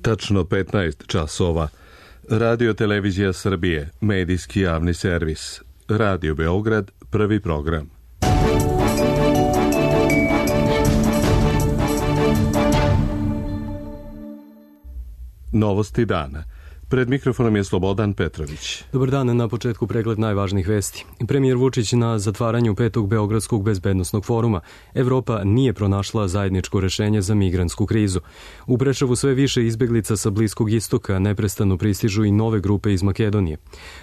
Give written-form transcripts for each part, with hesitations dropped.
Tačno 15 časova. Radio Televizija Srbije, medijski javni servis. Radio Beograd, prvi program. Novosti dana. Pred mikrofonom je Slobodan Petrović. Dobar dan, na početku pregled najvažnijih vesti. Premijer Vučić na zatvaranju 5. Beogradskog bezbednosnog foruma. Evropa nije pronašla zajedničko rešenje za migrantsku krizu. U Preševu sve više izbeglica sa Bliskog istoka, neprestano pristižu i nove grupe iz Makedonije.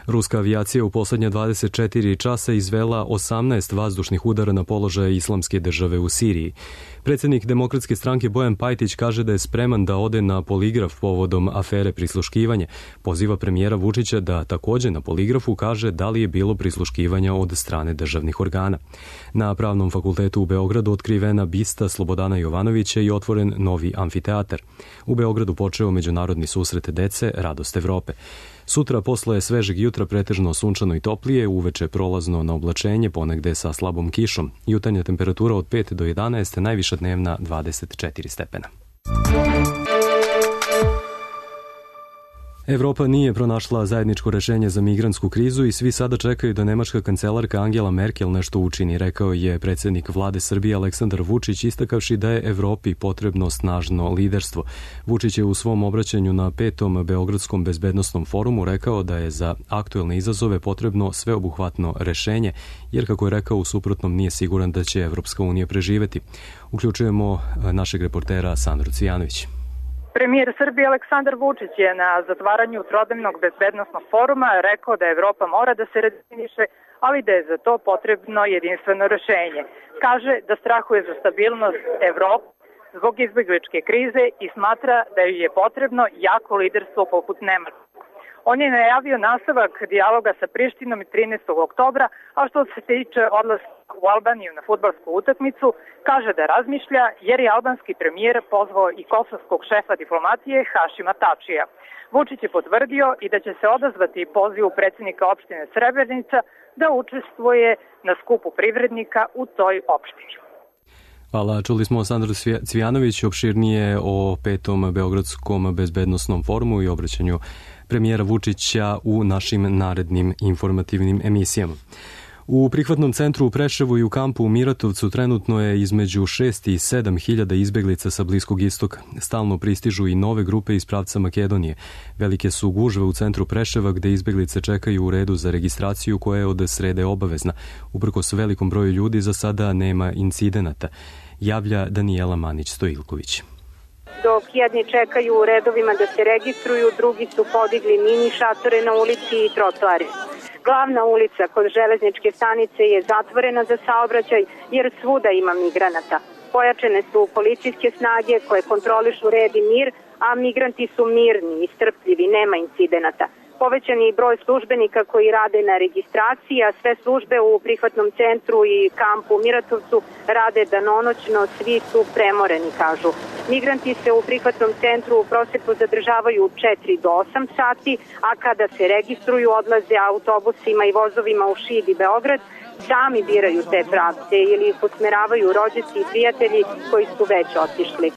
Ruska avijacija u poslednja 24 časa izvela 18 vazdušnih udara na položaje Islamske države u Siriji. Predsjednik Demokratske stranke Bojan Pajtić kaže da je spreman da ode na poligraf povodom afere prisluškivanje. Poziva premijera Vučića da takođe na poligrafu kaže da li je bilo prisluškivanja od strane državnih organa. Na Pravnom fakultetu u Beogradu otkrivena bista Slobodana Jovanovića i otvoren novi amfiteatar. U Beogradu počeo međunarodni susret dece Radost Evrope. Sutra posle svežeg jutra pretežno sunčano i toplije, uveče prolazno na oblačenje, ponegde sa slabom kišom. Jutarnja temperatura od 5 do 11, najviša dnevna 24 stepena. Evropa nije pronašla zajedničko rešenje za migrantsku krizu i svi sada čekaju da nemačka kancelarka Angela Merkel nešto učini, rekao je predsjednik vlade Srbije Aleksandar Vučić, istakavši da je Evropi potrebno snažno liderstvo. Vučić je u svom obraćanju na 5. Beogradskom bezbednosnom forumu rekao da je za aktuelne izazove potrebno sveobuhvatno rešenje, jer kako je rekao, u suprotnom nije siguran da će Evropska unija preživeti. Uključujemo našeg reportera Sandru Cvijanović. Premijer Srbije Aleksandar Vučić je na zatvaranju trodnevnog bezbednosnog foruma rekao da Evropa mora da se redefiniše, ali da je za to potrebno jedinstveno rešenje. Kaže da strahuje za stabilnost Evrope zbog izbegličke krize i smatra da joj je potrebno jako liderstvo poput Nemačke. On je najavio nastavak dijaloga sa Prištinom 13. oktobra, a što se tiče odlaska u Albaniju na fudbalsku utakmicu, kaže da razmišlja jer je albanski premijer pozvao i kosovskog šefa diplomatije Hašima Tačija. Vučić je potvrdio i da će se odazvati pozivu predsjednika opštine Srebrenica da učestvuje na skupu privrednika u toj opštini. Hvala, čuli smo Sandru Cvijanović opširnije o 5. Beogradskom bezbednosnom forumu i obraćanju premijera Vučića u našim narednim informativnim emisijama. U prihvatnom centru u Preševu i u kampu u Miratovcu trenutno je između 6 i 7 hiljada izbeglica sa Bliskog istoka. Stalno pristižu i nove grupe iz pravca Makedonije. Velike su gužve u centru Preševa gde izbeglice čekaju u redu za registraciju koja je od srede obavezna. Uprkos velikom broju ljudi za sada nema incidenata, javlja Danijela Manić-Stojilković. Dok jedni čekaju u redovima da se registruju, drugi su podigli mini šatore na ulici i trotoari. Glavna ulica kod železničke stanice je zatvorena za saobraćaj jer svuda ima migranata. Pojačane su policijske snage koje kontrolišu red i mir, a migranti su mirni i strpljivi, nema incidenata. Povećan je broj službenika koji rade na registraciji, a sve službe u prihvatnom centru i kampu u Miratovcu rade danonoćno, svi su premoreni, kažu. Migranti se u prihvatnom centru u proseku zadržavaju 4 do 8 sati, a kada se registruju odlaze autobusima i vozovima u Šid i Beograd, sami biraju te pravce ili ih usmeravaju rođaci i prijatelji koji su već otišli.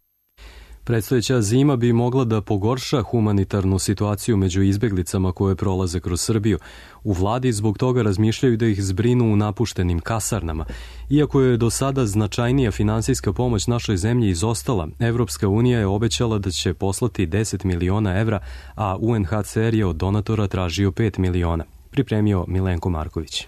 Predstojeća zima bi mogla da pogorša humanitarnu situaciju među izbeglicama koje prolaze kroz Srbiju. U vladi zbog toga razmišljaju da ih zbrinu u napuštenim kasarnama. Iako je do sada značajnija finansijska pomoć našoj zemlji izostala, Evropska unija je obećala da će poslati 10 miliona evra, a UNHCR je od donatora tražio 5 miliona. Pripremio Milenko Marković.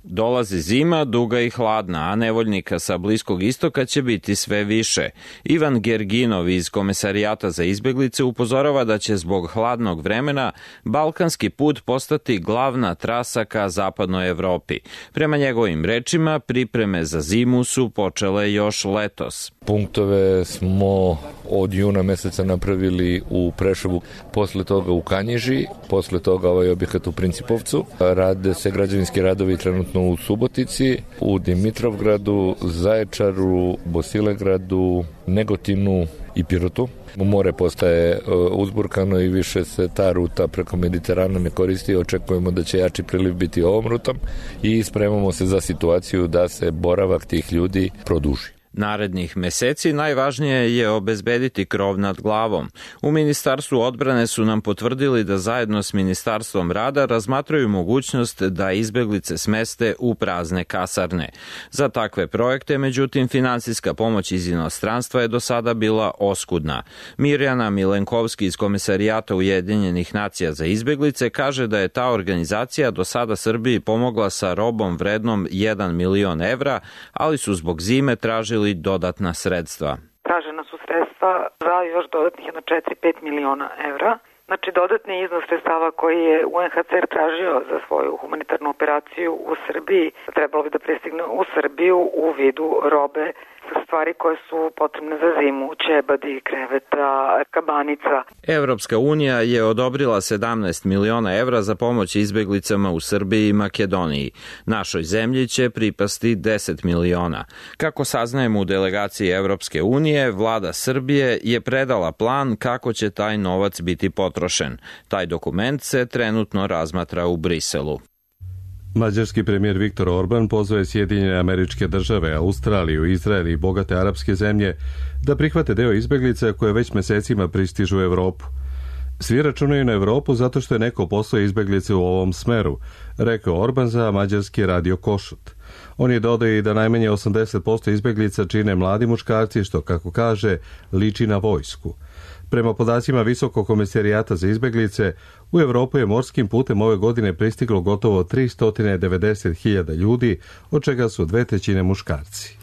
Dolazi zima, duga i hladna, a nevoljnika sa Bliskog istoka će biti sve više. Ivan Gerginov iz Komesarijata za izbeglice upozorava da će zbog hladnog vremena balkanski put postati glavna trasa ka zapadnoj Evropi. Prema njegovim rečima, pripreme za zimu su počele još letos. Punktove smo od juna meseca napravili u Preševu, posle toga u Kanjiži, posle toga ovaj objekat u Principovcu. Rade se građevinski radovi trenutno u Subotici, u Dimitrovgradu, Zaječaru, Bosilegradu, Negotinu i Pirotu. More postaje uzburkano i više se ta ruta preko Mediterana ne koristi. Očekujemo da će jači priliv biti ovom rutom i spremamo se za situaciju da se boravak tih ljudi produži. Narednih meseci najvažnije je obezbediti krov nad glavom. U Ministarstvu odbrane su nam potvrdili da zajedno s Ministarstvom rada razmatraju mogućnost da izbeglice smeste u prazne kasarne. Za takve projekte, međutim, finansijska pomoć iz inostranstva je do sada bila oskudna. Mirjana Milenkovski iz Komesarijata Ujedinjenih nacija za izbeglice kaže da je ta organizacija do sada Srbiji pomogla sa robom vrednom 1 milion evra, ali su zbog zime tražili dodatna sredstva. Tražena su sredstva za još dodatnih 4-5 miliona evra. Znači, dodatni iznos sredstava koji je UNHCR tražio za svoju humanitarnu operaciju u Srbiji trebalo bi da pristigne u Srbiju u vidu robe, stvari koje su potrebne za zimu, ćebadi, kreveta, kabanica. Evropska unija je odobrila 17 miliona evra za pomoć izbeglicama u Srbiji i Makedoniji. Našoj zemlji će pripasti 10 miliona. Kako saznajemo u delegaciji Evropske unije, vlada Srbije je predala plan kako će taj novac biti potrošen. Taj dokument se trenutno razmatra u Briselu. Mađarski premijer Viktor Orban pozvao je Sjedinjene Američke Države, Australiju, Izrael i bogate arapske zemlje da prihvate deo izbeglica koje već mesecima pristižu u Evropu. Svi računaju na Evropu zato što je neko poslao izbeglice u ovom smeru, rekao Orban za mađarski radio Košut. On je dodao i da najmanje 80% izbeglica čine mladi muškarci, što, kako kaže, liči na vojsku. Prema podacima Visokog komesarijata za izbeglice, u Evropu je morskim putem ove godine pristiglo gotovo 390.000 ljudi, od čega su 2/3 muškarci.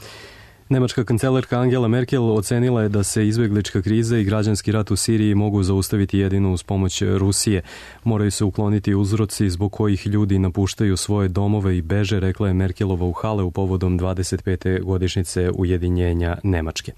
Nemačka kancelarka Angela Merkel ocenila je da se izbeglička kriza i građanski rat u Siriji mogu zaustaviti jedino uz pomoć Rusije. Moraju se ukloniti uzroci zbog kojih ljudi napuštaju svoje domove i beže, rekla je Merkelova u Haleu povodom 25. godišnjice ujedinjenja Nemačke.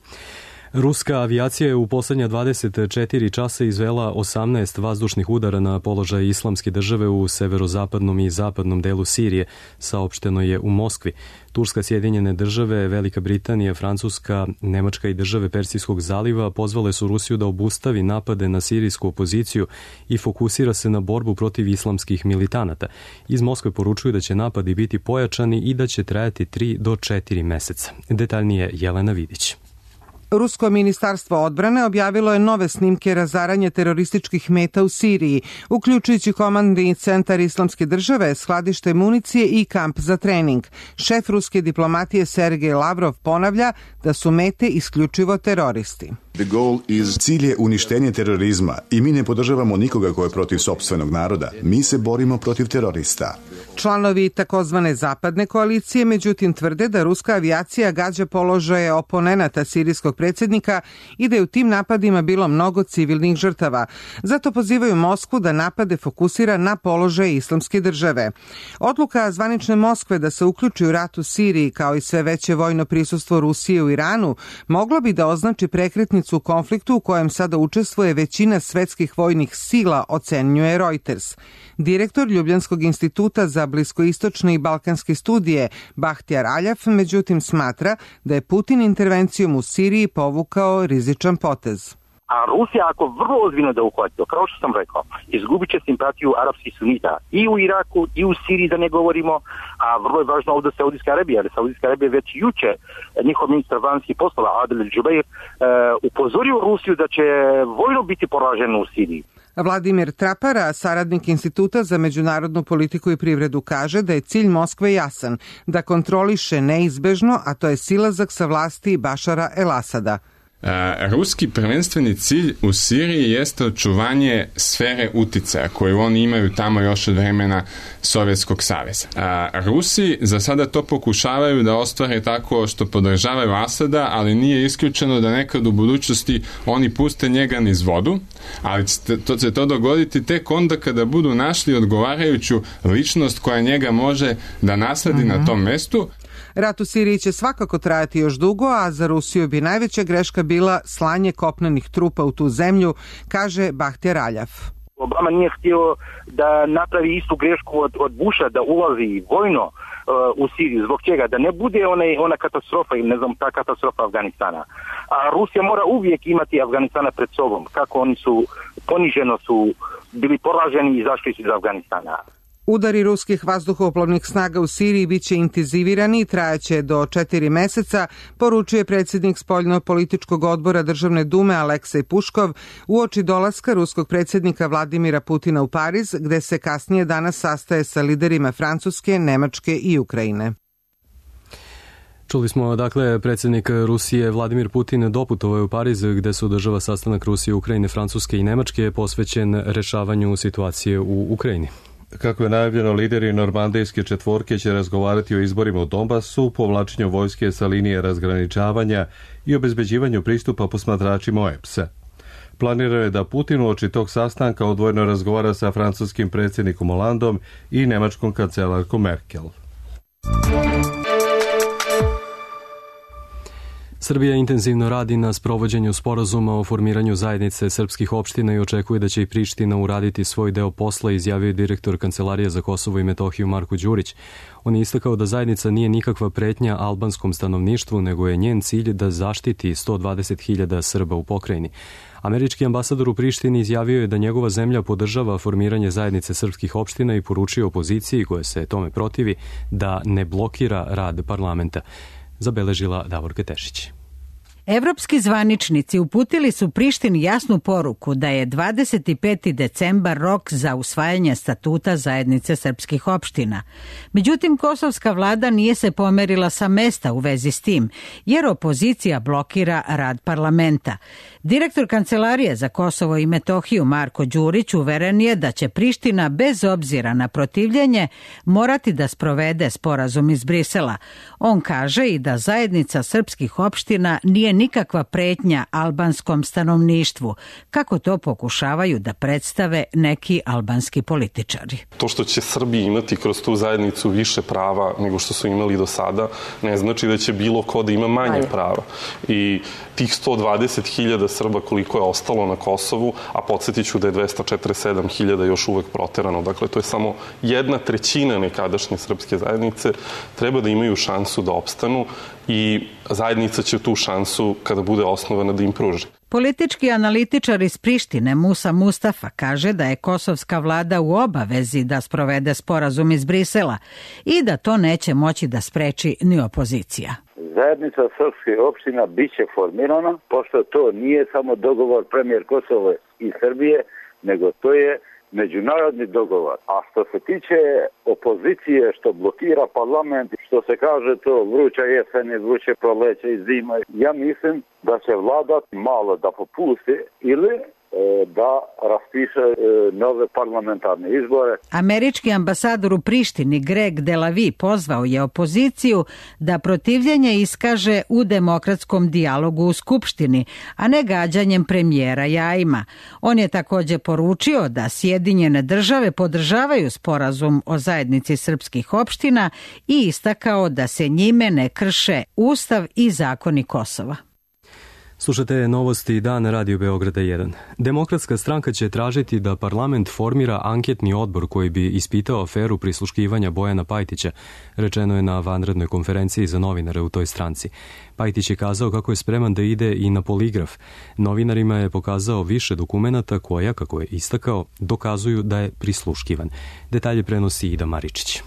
Ruska avijacija je u poslednja 24 časa izvela 18 vazdušnih udara na položaj Islamske države u severozapadnom i zapadnom delu Sirije, saopšteno je u Moskvi. Turska, Sjedinjene države, Velika Britanija, Francuska, Nemačka i države Persijskog zaliva pozvale su Rusiju da obustavi napade na sirijsku opoziciju i fokusira se na borbu protiv islamskih militanata. Iz Moskve poručuju da će napadi biti pojačani i da će trajati 3 do 4 meseca. Detaljnije Jelena Vidić. Rusko ministarstvo odbrane objavilo je nove snimke razaranja terorističkih meta u Siriji, uključujući komandni centar Islamske države, skladište municije i kamp za trening. Šef ruske diplomatije Sergej Lavrov ponavlja da su mete isključivo teroristi. Cilj je uništenje terorizma i mi ne podržavamo nikoga ko je protiv sopstvenog naroda. Mi se borimo protiv terorista. Članovi takozvane zapadne koalicije međutim tvrde da ruska avijacija gađa položaje oponenata sirijskog predsjednika i da je u tim napadima bilo mnogo civilnih žrtava. Zato pozivaju Moskvu da napade fokusira na položaje Islamske države. Odluka zvanične Moskve da se uključi u rat u Siriji kao i sve veće vojno prisustvo Rusije u Iranu moglo bi da označi prekretnicu u konfliktu u kojem sada učestvuje većina svetskih vojnih sila, ocenjuje Reuters. Direktor Ljubljanskog instituta za bliskoistočne i balkanske studije Bahtjar Aljav međutim smatra da je Putin intervencijom u Siriji povukao rizičan potez. A Rusija ako vrlo ozbiljno da uhvati, kao što sam rekao, izgubit će simpatiju arapskih sunita i u Iraku i u Siriji, da ne govorimo, a vrlo je važno ovdje Saudijska Arabija, jer Saudijska Arabija već juče njihov ministar vanjskih poslova Adel Džubeir upozorio Rusiju da će vojno biti poraženo u Siriji. Vladimir Trapara, saradnik Instituta za međunarodnu politiku i privredu, kaže da je cilj Moskve jasan, da kontroliše neizbežno, a to je silazak sa vlasti Bašara el-Asada. Ruski prvenstveni cilj u Siriji jeste očuvanje sfere uticaja koju oni imaju tamo još od vremena Sovjetskog saveza. Rusi za sada to pokušavaju da ostvare tako što podržavaju Asada, ali nije isključeno da nekad u budućnosti oni puste njega niz vodu, ali će to dogoditi tek onda kada budu našli odgovarajuću ličnost koja njega može da nasledi na tom mestu. Rat u Siriji će svakako trajati još dugo, a za Rusiju bi najveća greška bila slanje kopnenih trupa u tu zemlju, kaže Bahtjar Aljav. Obama nije htio da napravi istu grešku od Busha, da ulazi vojno u Siriju. Zbog čega? Da ne bude ona katastrofa ili ta katastrofa Afganistana. A Rusija mora uvijek imati Afganistana pred sobom. Kako oni su poniženo su bili poraženi i izašli iz Afganistana. Udari ruskih vazduhoplovnih snaga u Siriji biće intenzivirani i trajaće do 4 meseca, poručuje predsjednik spoljno-političkog odbora Državne dume Aleksej Puškov uoči dolaska ruskog predsjednika Vladimira Putina u Pariz, gde se kasnije danas sastaje sa liderima Francuske, Nemačke i Ukrajine. Čuli smo, dakle, predsjednik Rusije Vladimir Putin doputovao je u Pariz gde se održava sastanak Rusije, Ukrajine, Francuske i Nemačke posvećen rešavanju situacije u Ukrajini. Kako je najavljeno, lideri normandijske četvorke će razgovarati o izborima u Donbasu, povlačenju vojske sa linije razgraničavanja i obezbeđivanju pristupa posmatračima OEBS-a. Planirano je da Putin uoči tog sastanka odvojeno razgovara sa francuskim predsjednikom Hollandom i nemačkom kancelarkom Merkel. Srbija intenzivno radi na sprovođenju sporazuma o formiranju zajednice srpskih opština i očekuje da će i Priština uraditi svoj deo posla, izjavio je direktor Kancelarije za Kosovo i Metohiju Marko Đurić. On je istakao da zajednica nije nikakva pretnja albanskom stanovništvu, nego je njen cilj da zaštiti 120.000 Srba u pokrajini. Američki ambasador u Prištini izjavio je da njegova zemlja podržava formiranje zajednice srpskih opština i poručio opoziciji, koja se tome protivi, da ne blokira rad parlamenta. Zabeležila Davorka Tešić. Evropski zvaničnici uputili su Prištini jasnu poruku da je 25. decembar rok za usvajanje statuta zajednice srpskih opština. Međutim, kosovska vlada nije se pomerila sa mesta u vezi s tim, jer opozicija blokira rad parlamenta. Direktor Kancelarije za Kosovo i Metohiju Marko Đurić uveren je da će Priština bez obzira na protivljenje morati da sprovede sporazum iz Brisela. On kaže i da zajednica srpskih opština nije nikakva pretnja albanskom stanovništvu, kako to pokušavaju da predstave neki albanski političari. To što će Srbi imati kroz tu zajednicu više prava nego što su imali do sada, ne znači da će bilo ko da ima manje prava. I tih 120.000 Srba koliko je ostalo na Kosovu, a podsjetit ću da je 247.000 još uvek proterano. Dakle, to je samo 1/3 nekadašnje srpske zajednice, treba da imaju šansu da opstanu i zajednica će tu šansu, kada bude osnovana, da im pruži. Politički analitičar iz Prištine Musa Mustafa kaže da je kosovska vlada u obavezi da sprovede sporazum iz Brisela i da to neće moći da spreči ni opozicija. Zajednica srpskih opština biće formirana, pošto to nije samo dogovor premijer Kosova i Srbije, nego to je međunarodni dogovor. A što se tiče opozicije što blokira parlament, što se kaže to vruća jesen i vruće proleće i zima, ja mislim da će vlada malo da popusti ili da raspiše nove parlamentarne izbore. Američki ambasador u Prištini Greg Delavi pozvao je opoziciju da protivljenje iskaže u demokratskom dijalogu u Skupštini, a ne gađanjem premijera jajima. On je također poručio da Sjedinjene države podržavaju sporazum o zajednici srpskih opština i istakao da se njime ne krše Ustav i zakoni Kosova. Slušate novosti Dan Radio Beograda 1. Demokratska stranka će tražiti da parlament formira anketni odbor koji bi ispitao aferu prisluškivanja Bojana Pajtića, rečeno je na vanrednoj konferenciji za novinare u toj stranci. Pajtić je kazao kako je spreman da ide i na poligraf. Novinarima je pokazao više dokumenata koja, kako je istakao, dokazuju da je prisluškivan. Detalje prenosi Ida Maričić.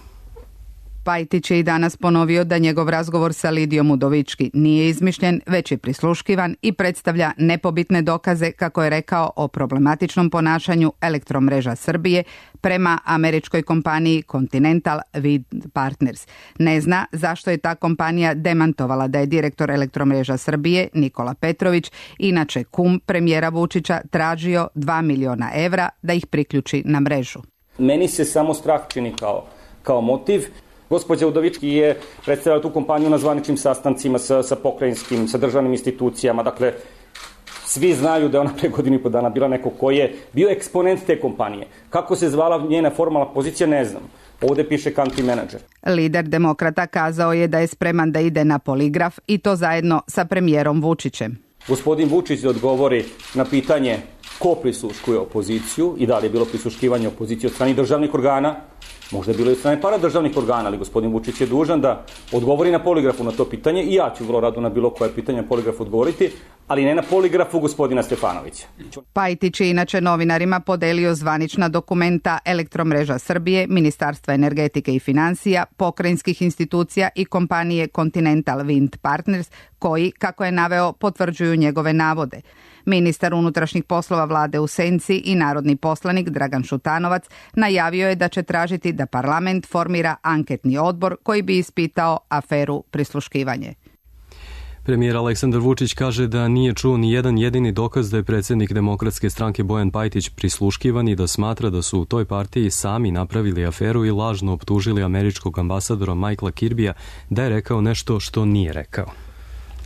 Pajtić je i danas ponovio da njegov razgovor sa Lidijom Udovički nije izmišljen, već je prisluškivan i predstavlja nepobitne dokaze, kako je rekao, o problematičnom ponašanju Elektromreža Srbije prema američkoj kompaniji Continental Wind Partners. Ne zna zašto je ta kompanija demantovala da je direktor Elektromreža Srbije, Nikola Petrović, inače kum premijera Vučića, tražio 2 miliona evra da ih priključi na mrežu. Meni se samo strah čini kao motiv. Gospođa Udovički je predstavila tu kompaniju na zvaničnim sastancima sa pokrajinskim, sa državnim institucijama. Dakle, svi znaju da je ona pre godinu i po dana bila neko ko je bio eksponent te kompanije. Kako se zvala njena formalna pozicija, ne znam. Ovde piše country manager. Lider demokrata kazao je da je spreman da ide na poligraf i to zajedno sa premijerom Vučićem. Gospodin Vučić da odgovori na pitanje ko prisluškuje opoziciju i da li je bilo prisluškivanje opozicije od strane državnih organa. Možda je bilo i od strane paradržavnih organa, ali gospodin Vučić je dužan da odgovori na poligrafu na to pitanje i ja ću vrlo rado na bilo koje pitanje na poligrafu odgovoriti, ali ne na poligrafu gospodina Stefanovića. Pajtić je inače novinarima podelio zvanična dokumenta Elektromreža Srbije, Ministarstva energetike i financija, pokrajinskih institucija i kompanije Continental Wind Partners, koji, kako je naveo, potvrđuju njegove navode. Ministar unutrašnjih poslova vlade u senci i narodni poslanik Dragan Šutanovac najavio je da će tražiti da parlament formira anketni odbor koji bi ispitao aferu prisluškivanje. Premijer Aleksandar Vučić kaže da nije čuo ni jedan jedini dokaz da je predsjednik Demokratske stranke Bojan Pajtić prisluškivan i da smatra da su u toj partiji sami napravili aferu i lažno optužili američkog ambasadora Michaela Kirbija da je rekao nešto što nije rekao.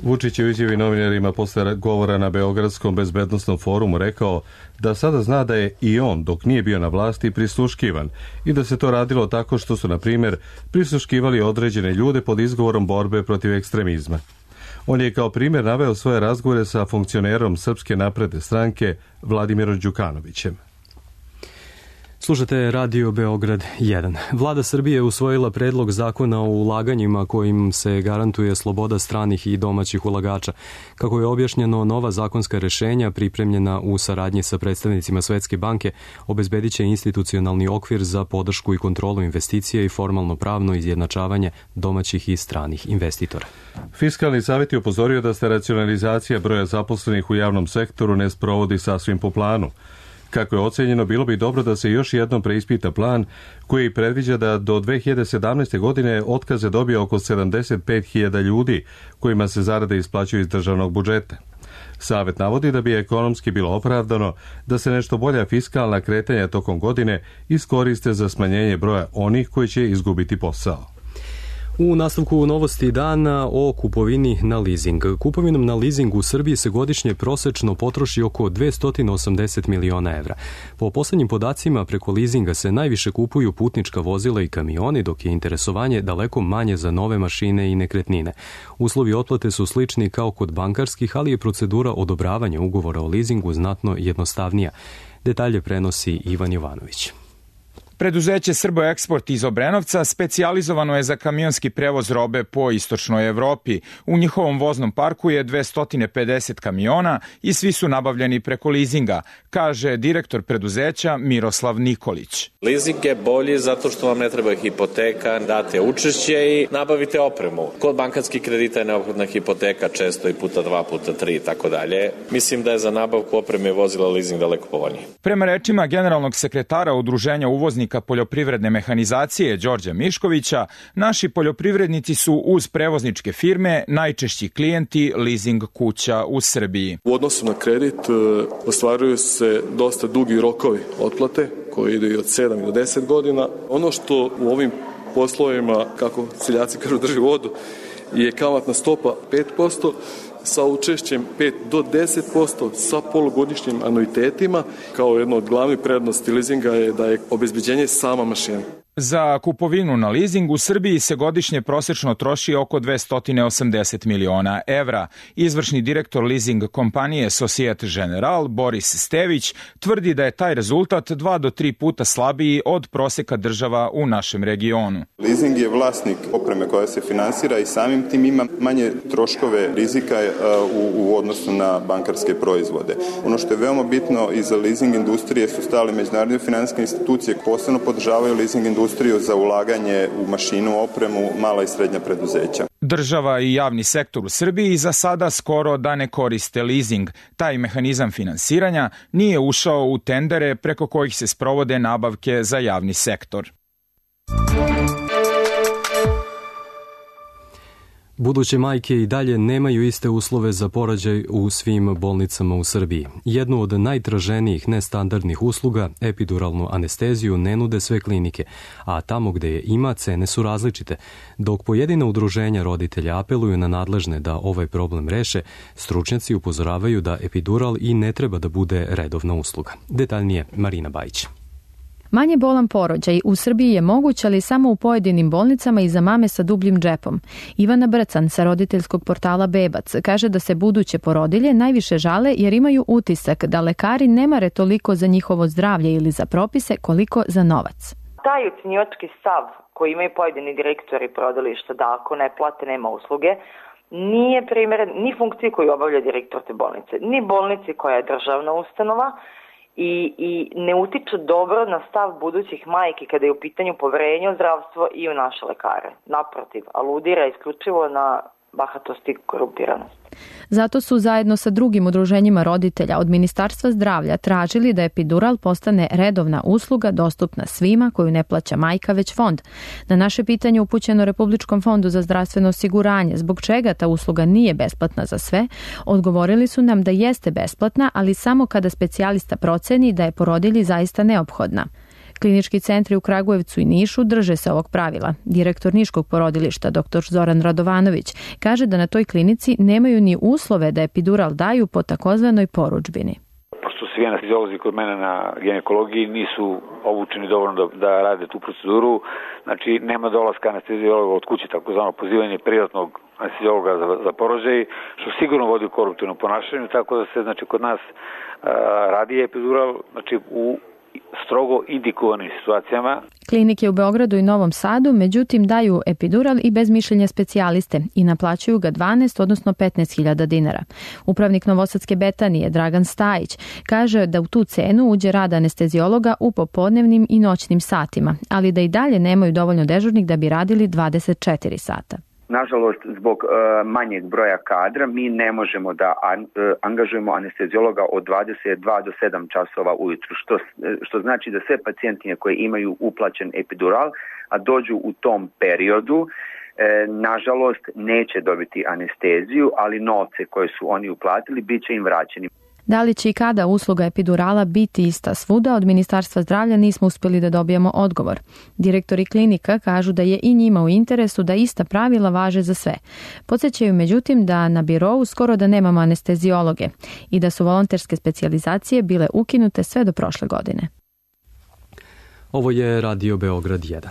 Vučić je u izjavi novinarima posle govora na Beogradskom bezbednosnom forumu rekao da sada zna da je i on, dok nije bio na vlasti, prisluškivan i da se to radilo tako što su, na primjer, prisluškivali određene ljude pod izgovorom borbe protiv ekstremizma. On je kao primjer naveo svoje razgovore sa funkcionerom Srpske napredne stranke Vladimirom Đukanovićem. Slušate Radio Beograd 1. Vlada Srbije je usvojila predlog zakona o ulaganjima kojim se garantuje sloboda stranih i domaćih ulagača. Kako je objašnjeno, nova zakonska rešenja pripremljena u saradnji sa predstavnicima Svetske banke obezbedit će institucionalni okvir za podršku i kontrolu investicija i formalno pravno izjednačavanje domaćih i stranih investitora. Fiskalni savjet je upozorio da se racionalizacija broja zaposlenih u javnom sektoru ne sprovodi sasvim po planu. Kako je ocenjeno, bilo bi dobro da se još jednom preispita plan koji predviđa da do 2017. godine otkaze dobije oko 75.000 ljudi kojima se zarade isplaćuju iz državnog budžeta. Savet navodi da bi ekonomski bilo opravdano da se nešto bolja fiskalna kretanja tokom godine iskoriste za smanjenje broja onih koji će izgubiti posao. U nastavku novosti dana o kupovini na leasing. Kupovinom na leasing u Srbiji se godišnje prosečno potroši oko 280 miliona evra. Po poslednjim podacima, preko leasinga se najviše kupuju putnička vozila i kamioni, dok je interesovanje daleko manje za nove mašine i nekretnine. Uslovi otplate su slični kao kod bankarskih, ali je procedura odobravanja ugovora o leasingu znatno jednostavnija. Detalje prenosi Ivan Jovanović. Preduzeće Srboeksport iz Obrenovca specijalizovano je za kamionski prevoz robe po istočnoj Evropi. U njihovom voznom parku je 250 kamiona i svi su nabavljeni preko leasinga, kaže direktor preduzeća Miroslav Nikolić. Leasing je bolji zato što vam ne treba hipoteka, date učešće i nabavite opremu. Kod bankarskih kredita je neophodna hipoteka, često i puta 2, puta 3 i tako dalje. Mislim da je za nabavku opreme vozila leasing daleko povoljniji. Prema rečima generalnog sekretara Udruženja uvoznika poljoprivredne mehanizacije Đorđa Miškovića, naši poljoprivrednici su uz prevozničke firme najčešći klijenti leasing kuća u Srbiji. U odnosu na kredit ostvaruju se dosta dugi rokovi otplate koji idu i od 7 do 10 godina. Ono što u ovim poslovima, kako seljaci kažu, drži vodu, je kamatna stopa 5%, sa učešćem 5 do 10% sa polugodišnjim anuitetima. Kao jedno od glavnih prednosti leasinga je da je obezbeđenje sama mašina. Za kupovinu na leasing u Srbiji se godišnje prosečno troši oko 280 miliona evra. Izvršni direktor leasing kompanije Societe General Boris Stević tvrdi da je taj rezultat 2 do 3 puta slabiji od proseka država u našem regionu. Leasing je vlasnik opreme koja se finansira i samim tim ima manje troškove rizika u odnosu na bankarske proizvode. Ono što je veoma bitno i za leasing industrije su stale međunarodne finansijske institucije, posebno podržavaju leasing industriju za ulaganje u mašinu, opremu, mala i srednja preduzeća. Država i javni sektor u Srbiji za sada skoro da ne koriste leasing. Taj mehanizam finansiranja nije ušao u tendere preko kojih se sprovode nabavke za javni sektor. Buduće majke i dalje nemaju iste uslove za porođaj u svim bolnicama u Srbiji. Jednu od najtraženijih nestandardnih usluga, epiduralnu anesteziju, ne nude sve klinike, a tamo gde je ima, cene su različite. Dok pojedina udruženja roditelja apeluju na nadležne da ovaj problem reše, stručnjaci upozoravaju da epidural i ne treba da bude redovna usluga. Detaljnije Marina Bajić. Manje bolan porođaj u Srbiji je moguć, ali samo u pojedinim bolnicama i za mame sa dubljim džepom. Ivana Brcan sa roditeljskog portala Bebac kaže da se buduće porodilje najviše žale jer imaju utisak da lekari ne mare toliko za njihovo zdravlje ili za propise koliko za novac. Taj ucjenjivački stav koji imaju pojedini direktori porodilišta da ako ne plate nema usluge, nije primeren ni funkciji koju obavlja direktor te bolnice, ni bolnici koja je državna ustanova i ne utiče dobro na stav budućih majki kada je u pitanju poverenje u zdravstvo i u naše lekare. Naprotiv, aludira isključivo na bahatost i korumpiranost. Zato su zajedno sa drugim udruženjima roditelja od Ministarstva zdravlja tražili da epidural postane redovna usluga dostupna svima koju ne plaća majka već fond. Na naše pitanje upućeno Republičkom fondu za zdravstveno osiguranje zbog čega ta usluga nije besplatna za sve, odgovorili su nam da jeste besplatna, ali samo kada specijalista proceni da je porodilji zaista neophodna. Klinički centri u Kragujevcu i Nišu drže se ovog pravila. Direktor Niškog porodilišta, dr. Zoran Radovanović, kaže da na toj klinici nemaju ni uslove da epidural daju po takozvanoj porudžbini. Pošto svi anesteziolozi kod mene na ginekologiji nisu obučeni dovoljno da rade tu proceduru, znači nema dolaska anesteziologa od kuće, takozvano pozivanje privatnog anesteziologa za porođaj, što sigurno vodi u koruptivnom ponašanju, tako da se znači kod nas radi epidural, znači u strogo indikovanim situacijama. Klinike u Beogradu i Novom Sadu, međutim, daju epidural i bez mišljenja specijaliste i naplaćuju ga 12, odnosno 15.000 dinara. Upravnik Novosadske Betanije, Dragan Stajić, kaže da u tu cenu uđe rad anesteziologa u popodnevnim i noćnim satima, ali da i dalje nemaju dovoljno dežurnih da bi radili 24 sata. Nažalost, zbog manjeg broja kadra mi ne možemo da angažujemo anesteziologa od 22 do 7 časova ujutru, što znači da sve pacijentine koje imaju uplaćen epidural, a dođu u tom periodu, nažalost neće dobiti anesteziju, ali novce koje su oni uplatili bit će im vraćeni. Da li će i kada usluga epidurala biti ista svuda, od Ministarstva zdravlja nismo uspjeli da dobijemo odgovor. Direktori klinika kažu da je i njima u interesu da ista pravila važe za sve. Podsjećaju međutim da na birou skoro da nemamo anesteziologe i da su volonterske specijalizacije bile ukinute sve do prošle godine. Ovo je Radio Beograd 1.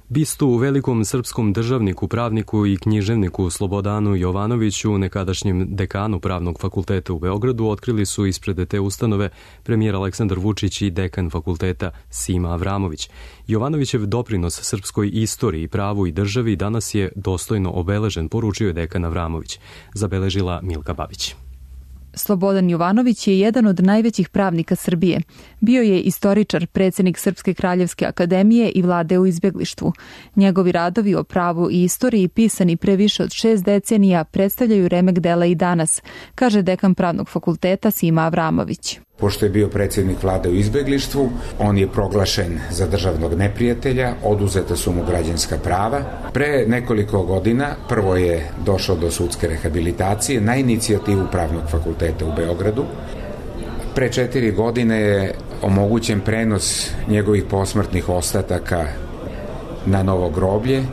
Bistu u velikom srpskom državniku, pravniku i književniku Slobodanu Jovanoviću, nekadašnjem dekanu Pravnog fakulteta u Beogradu, otkrili su ispred te ustanove premijer Aleksandar Vučić i dekan fakulteta Sima Avramović. Jovanovićev doprinos srpskoj istoriji, pravu i državi danas je dostojno obeležen, poručio je dekan Avramović, zabeležila Milka Babić. Slobodan Jovanović je jedan od najvećih pravnika Srbije. Bio je istoričar, predsjednik Srpske kraljevske akademije i vlade u izbjeglištvu. Njegovi radovi o pravu i istoriji pisani pre više od 6 decenija predstavljaju remek dela i danas, kaže dekan Pravnog fakulteta Sima Avramović. Pošto je bio predsjednik vlade u izbjeglištvu, on je proglašen za državnog neprijatelja, oduzeta su mu građanska prava. Pre nekoliko godina prvo je došao do sudske rehabilitacije na inicijativu Pravnog fakulteta u Beogradu. Pre 4 godine je omogućen prenos njegovih posmrtnih ostataka na novo groblje,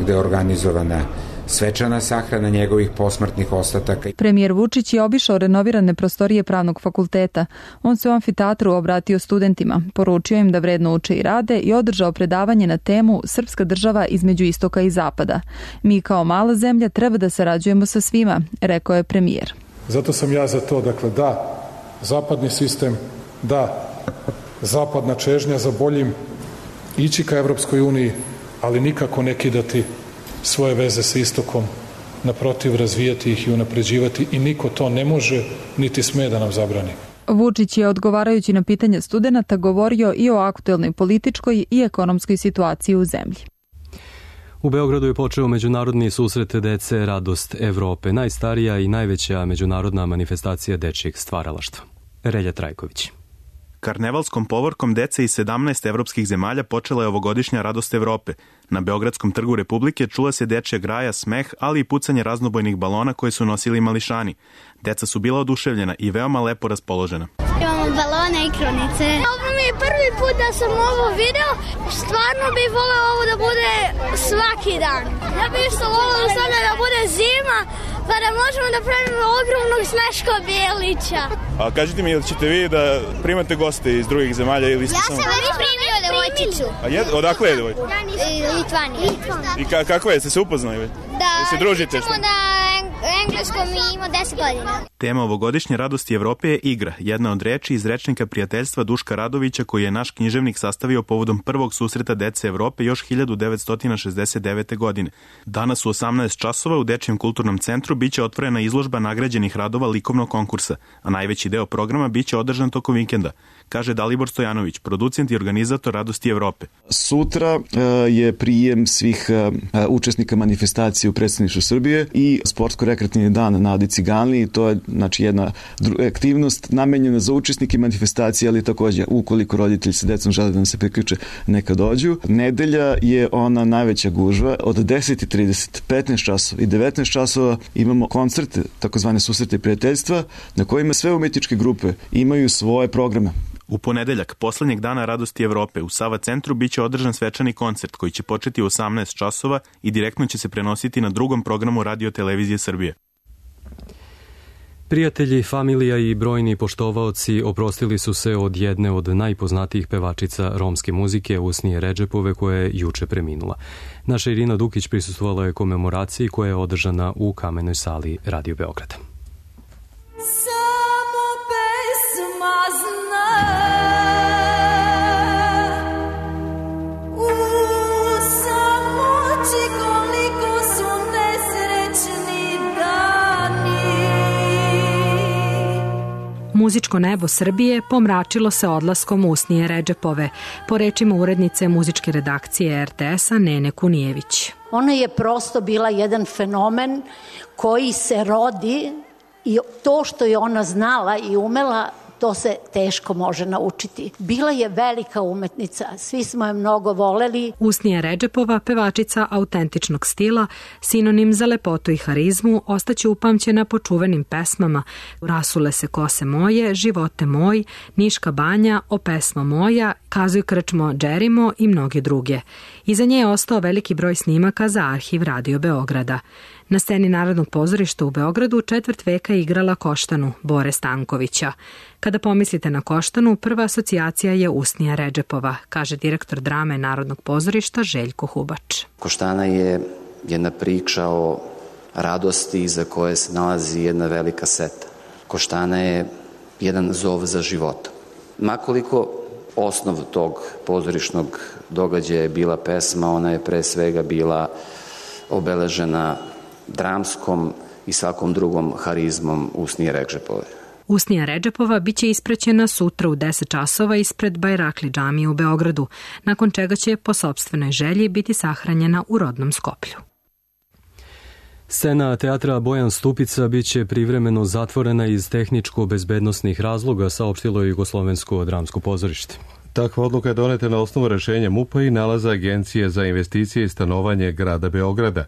gde je organizovana svečana sahrana njegovih posmrtnih ostataka. Premijer Vučić je obišao renovirane prostorije Pravnog fakulteta. On se u amfiteatru obratio studentima, poručio im da vredno uče i rade i održao predavanje na temu Srpska država između istoka i zapada. Mi kao mala zemlja treba da sarađujemo sa svima, rekao je premijer. Zato sam ja za to, dakle da, zapadni sistem, da, zapadna čežnja za boljim, ići ka Evropskoj uniji, ali nikako ne kidati svoje veze sa istokom, naprotiv razvijati ih i unapređivati i niko to ne može niti sme da nam zabrani. Vučić je, odgovarajući na pitanja studenata, govorio i o aktuelnoj političkoj i ekonomskoj situaciji u zemlji. U Beogradu je počeo međunarodni susret dece Radost Evrope, najstarija i najveća međunarodna manifestacija dečjeg stvaralaštva. Relja Trajković. Karnevalskom povorkom dece iz 17 evropskih zemalja počela je ovogodišnja Radost Evrope. Na Beogradskom trgu Republike čula se dečja graja, smeh, ali i pucanje raznobojnih balona koje su nosili mališani. Deca su bila oduševljena i veoma lepo raspoložena. Imamo balone i krunice. Ovo mi je prvi put da sam ovo video. Stvarno bih voleo ovo da bude svaki dan. Ja bih isto voleo da bude zima, pa da možemo da pravimo ogromnog Sneško Bijelića. A kažite mi, ili ćete vi da primate goste iz drugih zemalja ili ste samo... Ja sam već primio devojčicu. Odakle je devojčica? Litvanija. I kakva je? Ste se upoznali? Da, se družite? Ćemo na engleskom i imao 10 godina. Tema ovogodišnje Radosti Evrope je igra, jedna od reči iz rečnika prijateljstva Duška Radovića koji je naš književnik sastavio povodom prvog susreta dece Evrope još 1969. godine. Danas u 18 časova u Dečijem kulturnom centru biće otvorena izložba nagrađenih radova likovnog konkursa, a najveći deo programa biće održan tokom vikenda, kaže Dalibor Stojanović, producent i organizator Radosti Evrope. Sutra je prijem svih učesnika manifestacije u predstavništvu Srbije i sportsko-rekreativni dan na Adi Ciganliji. To je jedna aktivnost namenjena za učesnike manifestacije, ali takođe ukoliko roditelji sa decom žele da nam se priključe, neka dođu. Nedelja je ona najveća gužva. Od 10:30, 15 časova i 19 časova imamo koncerte, takozvane susrete prijateljstva, na kojima sve umetničke grupe imaju svoje programe. U ponedeljak, poslednjeg dana Radosti Evrope, u Sava centru biće održan svečani koncert koji će početi u 18 časova i direktno će se prenositi na drugom programu Radio Televizije Srbije. Prijatelji, familija i brojni poštovaoci oprostili su se od jedne od najpoznatijih pevačica romske muzike, Usnije Redžepove, koja je juče preminula. Naša Irina Dukić prisustvovala je komemoraciji koja je održana u Kamenoj sali Radio Beograda. Samo pesma zna, u samoći koliko su nesrećni dani. Muzičko nebo Srbije pomračilo se odlaskom Usnije Redžepove, po rečima urednice muzičke redakcije RTS-a Nene Kunijević. Ona je prosto bila jedan fenomen koji se rodi i to što je ona znala i umela, to se teško može naučiti. Bila je velika umetnica, svi smo je mnogo voleli. Usnija Redžepova, pevačica autentičnog stila, sinonim za lepotu i harizmu, ostaće upamćena po čuvenim pesmama Rasule se kose moje, Živote moj, Niška banja, O pesmo moja, Kazuj krčmo Džerimo i mnoge druge. Iza nje je ostao veliki broj snimaka za arhiv Radio Beograda. Na sceni Narodnog pozorišta u Beogradu četvrt veka je igrala Koštanu Bore Stankovića. Kada pomislite na Koštanu, prva asocijacija je Usnija Redžepova, kaže direktor drame Narodnog pozorišta Željko Hubač. Koštana je jedna priča o radosti iza koje se nalazi jedna velika seta. Koštana je jedan zov za životom. Makoliko osnov tog pozorišnog događaja je bila pesma, ona je pre svega bila obeležena dramskom i svakom drugom harizmom Usnije Redžepove. Usnija Redžepova biće ispraćena sutra u 10 časova ispred Bajrakli džamije u Beogradu, nakon čega će po sopstvenoj želji biti sahranjena u rodnom Skoplju. Scena teatra Bojan Stupica biće privremeno zatvorena iz tehničko-bezbednosnih razloga, saopštilo je Jugoslovensko dramsko pozorište. Takva odluka je doneta na osnovu rešenja MUP-a i nalaza Agencije za investicije i stanovanje grada Beograda.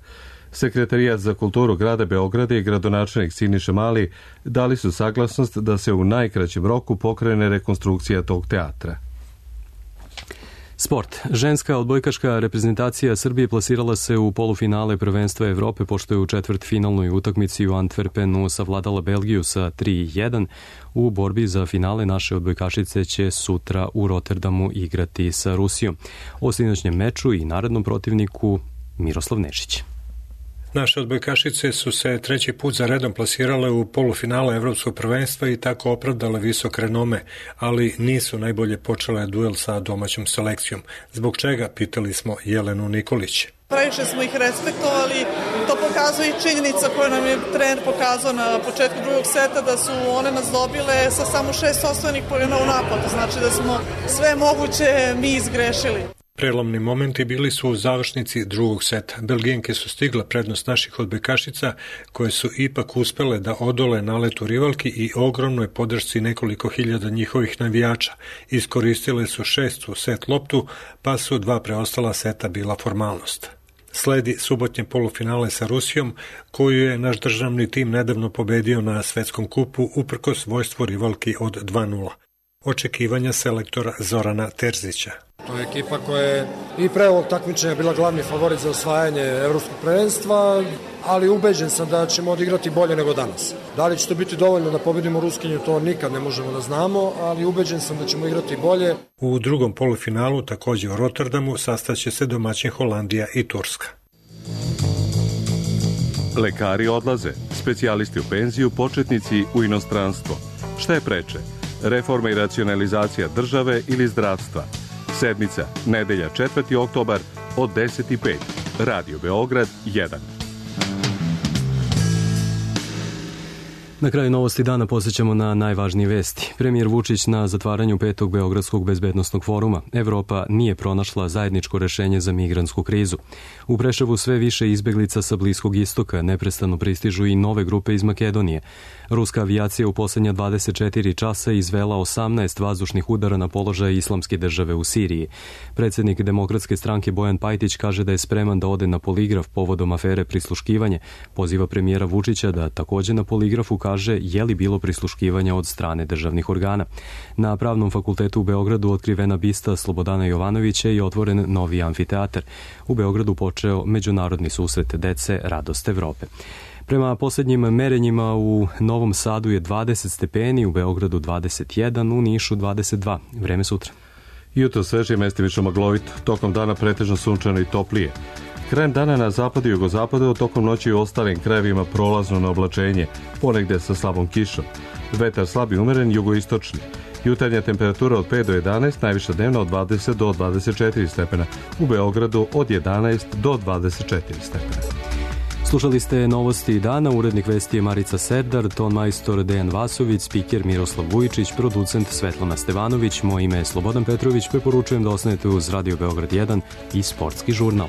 Sekretarijat za kulturu grada Beograda i gradonačelnik Siniša Mali dali su saglasnost da se u najkraćem roku pokrene rekonstrukcija tog teatra. Sport. Ženska odbojkaška reprezentacija Srbije plasirala se u polufinale prvenstva Evrope, pošto je u četvrtfinalnoj utakmici u Antwerpenu savladala Belgiju sa 3:1. U borbi za finale naše odbojkašice će sutra u Rotterdamu igrati sa Rusijom. O sinoćnjem meču i narednom protivniku Miroslav Nešić. Naše odbojkašice su se treći put za redom plasirale u polufinale Evropskog prvenstva i tako opravdale visok renome, ali nisu najbolje počele duel sa domaćom selekcijom. Zbog čega, pitali smo Jelenu Nikolić. Previše smo ih respektovali, to pokazuje i činjenica koju nam je trener pokazao na početku drugog seta, da su one nas dobile sa samo 6 osvojenih poena u napadu, znači da smo sve moguće mi izgrešili. Prelomni momenti bili su u završnici drugog seta. Belgijanke su stigle prednost naših odbojkašica, koje su ipak uspele da odole naletu rivalki i ogromnoj podršci nekoliko hiljada njihovih navijača. Iskoristile su 6. set loptu, pa su 2 preostala seta bila formalnost. Sledi subotnje polufinale sa Rusijom, koju je naš državni tim nedavno pobedio na svetskom kupu uprkos svojstvu rivalki od 2:0. Očekivanja selektora Zorana Terzića. To je ekipa koja je i pre ovog takmičenja bila glavni favorit za osvajanje evropskog prvenstva, ali ubeđen sam da ćemo odigrati bolje nego danas. Da li će to biti dovoljno da pobedimo Ruskinju, to nikad ne možemo da znamo, ali ubeđen sam da ćemo igrati bolje. U drugom polufinalu, takođe u Rotterdamu, sastaće se domaćin Holandija i Turska. Lekari odlaze, specijalisti u penziju, početnici u inostranstvo. Šta je preče? Reforma i racionalizacija države ili zdravstva? Sedmica, nedelja 4. oktobar od 10:05. Radio Beograd 1. Na kraju novosti dana posjećamo na najvažnije vesti. Premijer Vučić na zatvaranju 5. Beogradskog bezbednosnog foruma. Evropa nije pronašla zajedničko rešenje za migrantsku krizu. U Preševu sve više izbeglica sa Bliskog istoka, neprestano pristižu i nove grupe iz Makedonije. Ruska avijacija u posljednja 24 časa izvela 18 vazdušnih udara na položaj Islamske države u Siriji. Predsjednik Demokratske stranke Bojan Pajtić kaže da je spreman da ode na poligraf povodom afere prisluškivanje. Poziva premijera Vučića da također na poligrafu kaže je li bilo prisluškivanja od strane državnih organa. Na Pravnom fakultetu u Beogradu otkrivena bista Slobodana Jovanovića i otvoren novi amfiteatar. U Beogradu počeo međunarodni susret dece Radost Evrope. Prema posljednjim merenjima u Novom Sadu je 20 stepeni, u Beogradu 21, u Nišu 22. Vreme sutra. Jutro sveže, mestimično maglovit, tokom dana pretežno sunčano i toplije. Krajem dana na zapadu i jugozapadu, tokom noći u ostalim krajevima prolazno na oblačenje, ponegde sa slabom kišom. Vetar slab i umeren, jugoistočni. Jutarnja temperatura od 5 do 11, najviša dnevna od 20 do 24 stepena. U Beogradu od 11 do 24 stepena. Slušali ste novosti dana, urednik vesti je Marica Serdar, ton majstor Dejan Vasović, spiker Miroslav Vujičić, producent Svetlana Stevanović, moje ime je Slobodan Petrović, preporučujem da ostanete uz Radio Beograd 1 i Sportski žurnal.